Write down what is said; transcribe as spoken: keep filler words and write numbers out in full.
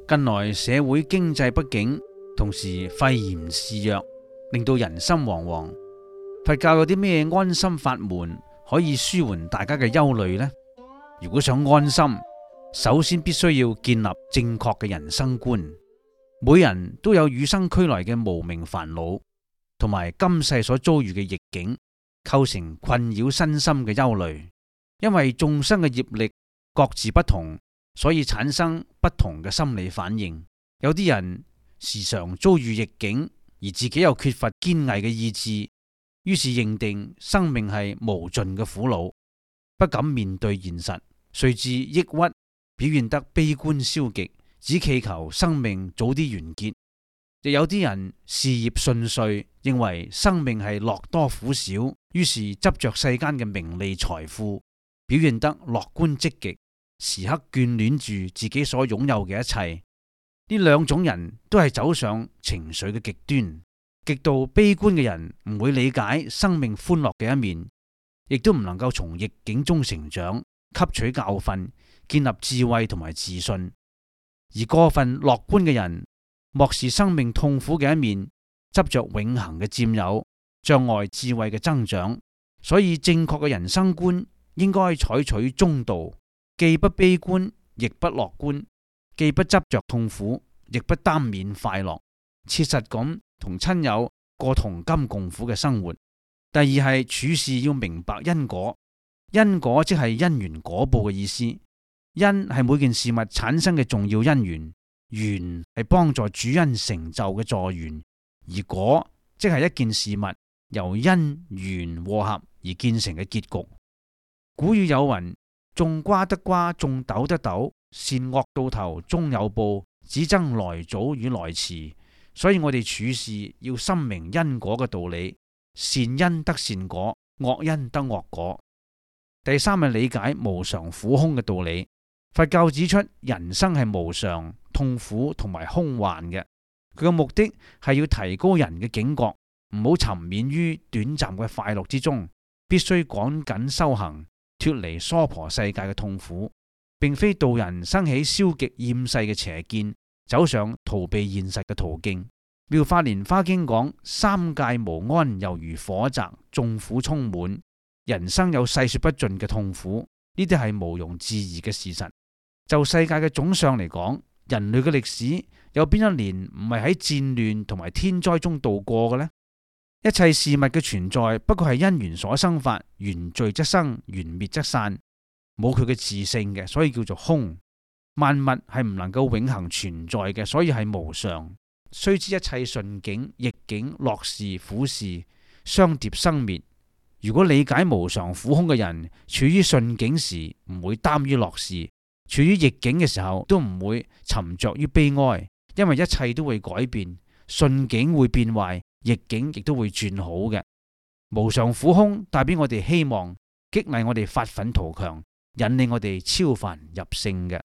近來社會經濟不景，同時肺炎肆虐，令到人心惶惶。佛教有啲咩安心法門可以舒緩大家嘅憂慮呢？如果想安心，首先必須要建立正確嘅人生觀。每人都有與生俱來嘅無明煩惱，同埋今世所遭遇嘅逆境，構成困擾身心嘅憂慮。因為眾生嘅業力各自不同，所以產生不同嘅心理反應。有啲人時常遭遇逆境，而自己又缺乏堅毅嘅意志，於是認定生命係無盡嘅苦惱，不敢面對現實，隨之抑鬱，表現得悲觀消極，只祈求生命早啲完結。亦有啲人事業順遂，認為生命係樂多苦少，於是執着世間嘅名利財富，表現得樂觀積極，時刻眷戀住自己所擁有嘅一切。呢兩種人都係走上情緒嘅極端。極度悲觀嘅人唔會理解生命歡樂嘅一面，亦都唔能夠從逆境中成長，吸取教訓，建立智慧同埋自信。而過分樂觀嘅人，漠視生命痛苦嘅一面，執着永恆嘅佔有，障礙智慧嘅增長。所以正確嘅人生觀應該採取中道，既不悲觀，亦不樂觀，既不執着痛苦，亦不耽緬快樂，切實咁同親友過同甘共苦嘅生活。第二係處事要明白因果，因果即係因緣果報嘅意思。因係每件事物產生嘅重要因緣，緣係幫助主因成就嘅助緣，而果即係一件事物由因緣和合而建成嘅結局。古語有云：種瓜得瓜，種豆得豆，善惡到頭終有報，只爭來早與來遲。所以我哋處事要深明因果嘅道理，善因得善果，惡因得惡果。第三係理解無常苦空嘅道理。佛教指出人生係無常、痛苦同埋空幻嘅，佢嘅目的係要提高人嘅警覺，唔好沉湎於短暫嘅快樂之中，必須趕緊修行，脫離娑婆世界嘅痛苦，並非導人生起消極厭世嘅邪見，走上逃避現實嘅途徑。妙法蓮華經講：三界無安，猶如火宅，眾苦充滿。人生有細說不盡嘅痛苦，呢啲係毋庸置疑嘅事實。就世界嘅總相嚟講，人類嘅歷史有邊一年唔係喺戰亂同埋天災中度過嘅呢？一切事物嘅存在不過係因緣所生法，緣聚則生，緣滅則散，冇佢嘅自性嘅，所以叫做空。萬物係唔能夠永恆存在嘅，所以係無常。須知一切順境、逆境、樂事、苦事，相疊生滅。如果理解無常苦空嘅人，處於順境時唔會耽於樂事，處於逆境嘅時候都唔會沉着於悲哀，因為一切都會改變，順境會變壞，逆境亦都會轉好嘅。無常苦空帶俾我哋希望，激勵我哋發奮圖強，引領我哋超凡入聖嘅。